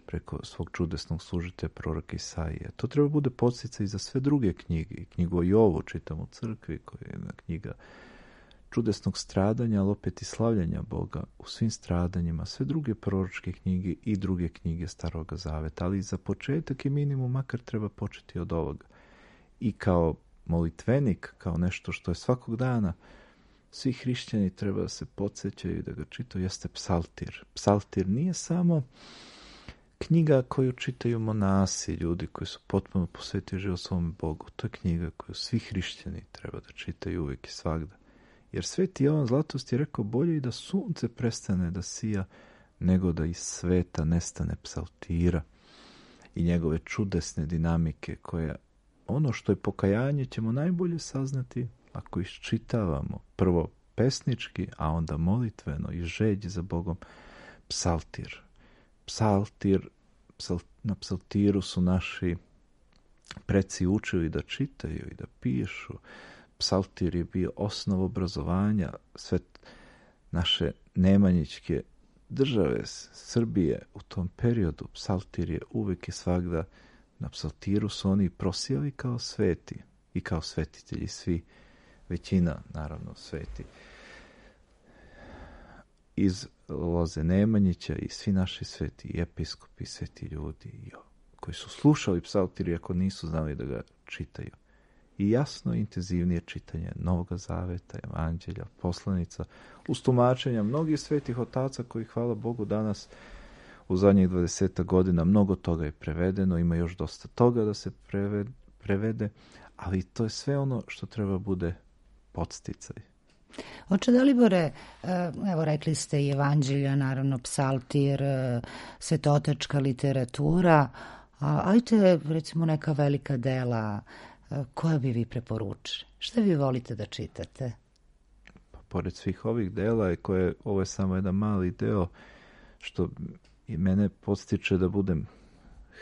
preko svog čudesnog služitelja proroka Isaije. To treba bude podsticaj i za sve druge knjige. I knjigu o Jovu čitam u crkvi, koja je jedna knjiga čudesnog stradanja, ali opet i slavljanja Boga u svim stradanjima, sve druge proročke knjige i druge knjige Staroga Zaveta. Ali za početak i minimum makar treba početi od ovoga. I kao molitvenik, kao nešto što je svakog dana, svi hrišćani treba da se podsjećaju i da ga čitaju, jeste psaltir. Psaltir nije samo knjiga koju čitaju monasi, ljudi koji su potpuno posvetili život svom Bogu. To je knjiga koju svi hrišćani treba da čitaju uvijek i svagda. Jer Sveti Jovan Zlatost je rekao, bolje i da sunce prestane da sija, nego da iz sveta nestane psaltira i njegove čudesne dinamike, koje ono što je pokajanje ćemo najbolje saznati ako iščitavamo prvo pesnički, a onda molitveno i žeđi za Bogom psaltir. Psaltir, psal, na psaltiru su naši preci učili da čitaju i da pišu. Psaltir je bio osnov obrazovanja sve naše nemanjićke države, Srbije u tom periodu. Psaltir je uvijek i svagda, na psaltiru su oni prosijali kao sveti i kao svetitelji, svi, većina naravno sveti. Iz loze Nemanjića i svi naši sveti i episkopi, sveti ljudi koji su slušali psaltir iako nisu znali da ga čitaju. I jasno intenzivnije čitanje Novog Zaveta, evanđelja, poslanica, uz tumačenja mnogih svetih otaca koji, hvala Bogu, danas u zadnjih dvadeset godina mnogo toga je prevedeno, ima još dosta toga da se prevede, prevede, ali to je sve ono što treba bude podsticaj. Oče Dalibore, evo rekli ste i evanđelja, naravno psaltir, svetotečka literatura, a ajte recimo neka velika dela koja bi vi preporučili? Šta vi volite da čitate? Pa, pored svih ovih dela, koje, ovo je samo jedan mali deo, što i mene podstiče da budem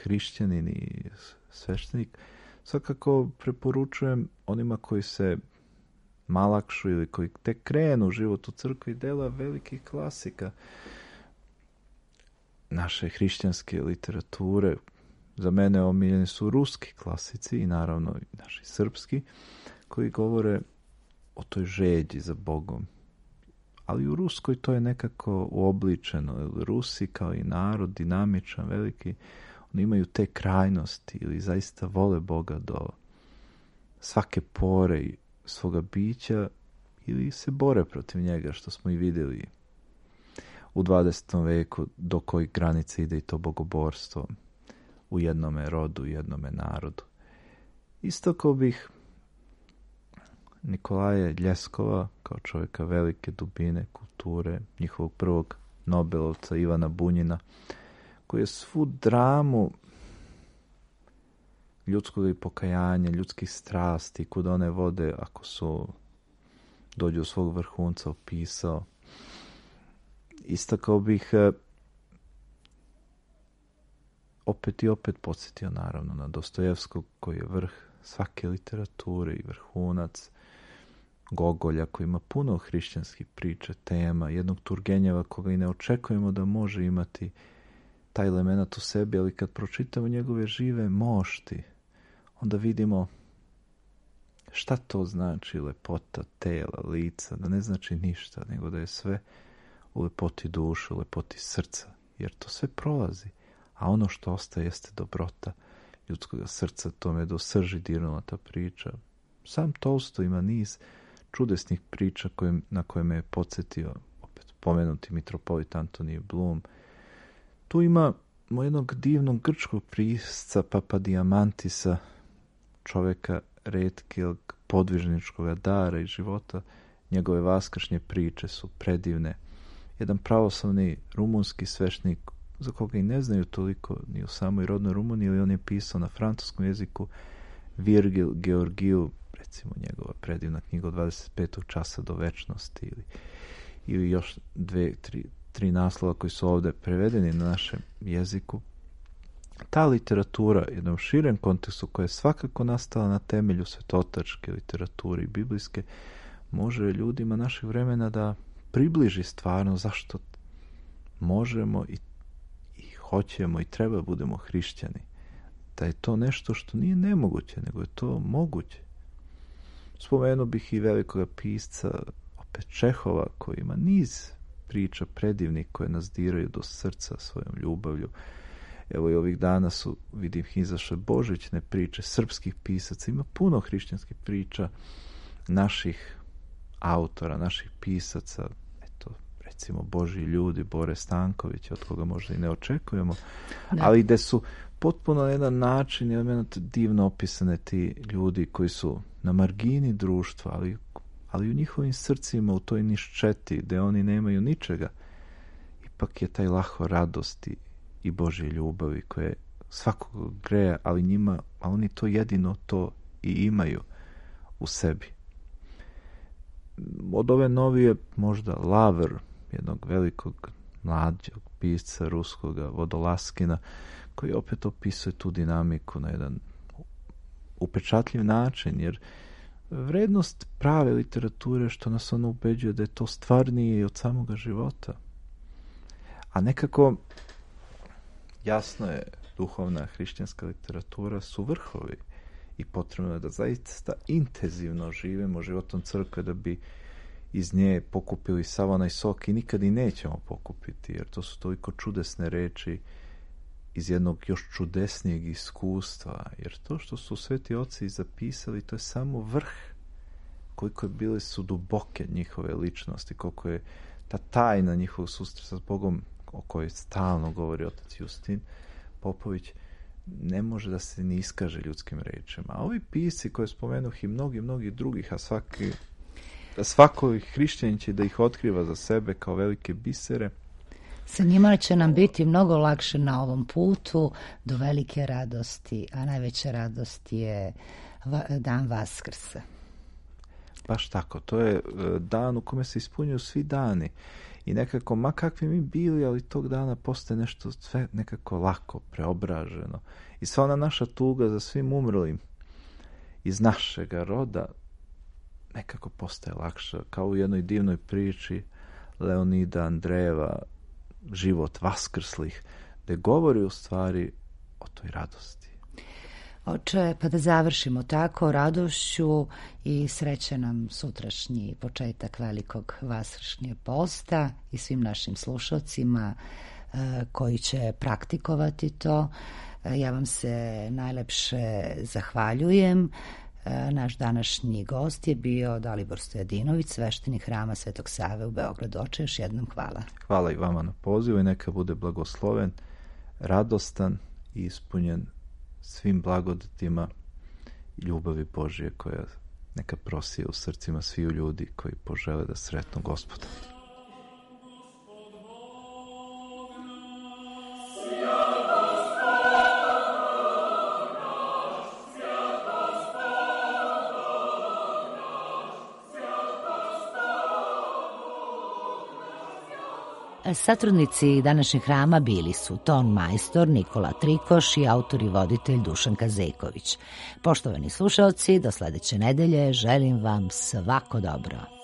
hrišćanin i sveštenik, svakako preporučujem onima koji se malakšu ili koji tek krenu u život u crkvi, dela velikih klasika naše hrišćanske literature. Za mene omiljeni su ruski klasici i naravno i naši srpski, koji govore o toj žeđi za Bogom. Ali u Ruskoj to je nekako uobličeno. Rusi kao i narod, dinamičan, veliki, oni imaju te krajnosti ili zaista vole Boga do svake pore svoga bića ili se bore protiv njega, što smo i vidjeli u dvadesetom veku, do kojih granice ide i to bogoborstvo u jednome rodu, u jednome narodu. Isto kao bih Nikolaja Ljeskova, kao čovjeka velike dubine kulture, njihovog prvog Nobelovca Ivana Bunjina, koji je svu dramu ljudskog i pokajanja, ljudskih strasti, kud one vode ako su dođu u svog vrhunca opisao. Isto kao bih opet i opet podsjetio naravno na Dostojevskog, koji je vrh svake literature i vrhunac, Gogolja koji ima puno hrišćanskih priča, tema, jednog Turgenjeva koga i ne očekujemo da može imati taj element u sebi, ali kad pročitamo njegove žive mošti, onda vidimo šta to znači lepota tela, lica, da ne znači ništa, nego da je sve u lepoti duše, u lepoti srca, jer to sve prolazi, a ono što ostaje jeste dobrota ljudskog srca. To me do srži dirnula ta priča. Sam Tolstoj ima niz čudesnih priča kojim, na koje me je podsjetio opet pomenuti mitropolit Antonije Blum. Tu ima jednog divnog grčkog pisca Papadiamantisa, čovjeka retkog podvižničkog dara i života. Njegove vaskršnje priče su predivne. Jedan pravoslavni rumunski sveštenik, za koga i ne znaju toliko ni u samoj rodnoj Rumuniji, ali on je pisao na francuskom jeziku, Virgil Georgiju, recimo njegova predivna knjiga od dvadeset petog časa do večnosti, ili, ili još dve, tri, tri naslova koji su ovdje prevedeni na našem jeziku. Ta literatura, jednom širem kontekstu, koja je svakako nastala na temelju svetotačke literature i biblijske, može ljudima našeg vremena da približi stvarno zašto možemo i, i hoćemo i treba budemo hrišćani. Da je to nešto što nije nemoguće, nego je to moguće. Spomenuo bih i velikog pisca, opet Čehova, koji ima niz priča predivnih koje nas diraju do srca svojom ljubavlju. Evo i ovih dana su, vidim, izašle božićne priče srpskih pisaca. Ima puno hrišćanskih priča naših autora, naših pisaca. Eto, recimo Božji ljudi, Bore Stanković, od koga možda i ne očekujemo. Da. Ali gde su potpuno na jedan način, jedan divno opisane ti ljudi koji su na margini društva, ali, ali u njihovim srcima, u toj niščeti, gde oni nemaju ničega, ipak je taj laho radosti i Božje ljubavi koje svakog greja, ali njima, a oni to jedino to i imaju u sebi. Od ove novije možda Lavr, jednog velikog mlađog pisca ruskoga, Vodolaskina, koji opet opisuje tu dinamiku na jedan upečatljiv način, jer vrednost prave literature što nas ono ubeđuje da je to stvarnije od samoga života. A nekako jasno je, duhovna hrišćanska literatura su vrhovi i potrebno je da zaista intenzivno živimo životom crkve da bi iz nje pokupili sav onaj sok i nikad i nećemo pokupiti, jer to su toliko čudesne reči iz jednog još čudesnijeg iskustva, jer to što su sveti oci zapisali, to je samo vrh, koliko je bile su duboke njihove ličnosti, koliko je ta tajna njihovog susreta s Bogom, o kojoj stalno govori otac Justin Popović, ne može da se ni iskaže ljudskim rečima. A ovi pisci koje spomenuh i mnogi, mnogi drugih, a svaki, a svako hrišćanin će da ih otkriva za sebe kao velike bisere. Sa njima će nam biti mnogo lakše na ovom putu do velike radosti, a najveća radost je dan Vaskrsa. Baš tako, to je dan u kome se ispunjuju svi dani. I nekako, ma kakvi mi bili, ali tog dana postaje nešto sve nekako lako, preobraženo. I sva ona naša tuga za svim umrlim iz našega roda nekako postaje lakša. Kao u jednoj divnoj priči Leonida Andrejeva, Život vaskrslih, gde govori u stvari o toj radosti. Oče, pa da završimo tako radošću i sreće nam sutrašnji početak velikog vaskršnjeg posta i svim našim slušalcima e, koji će praktikovati to. E, ja vam se najlepše zahvaljujem. E, naš današnji gost je bio Dalibor Stojadinović, sveštenik Hrama Svetog Save u Beogradu. Oče, još jednom hvala. Hvala i vama na pozivu i neka bude blagosloven, radostan i ispunjen svim blagodatima i ljubavi Božje koja neka prosije u srcima sviju ljudi koji požele da sretnu Gospoda. Satrudnici današnjeg hrama bili su ton majstor Nikola Trikoš i autor i voditelj Dušan Kazejković. Poštovani slušalci, do sledeće nedelje želim vam svako dobro.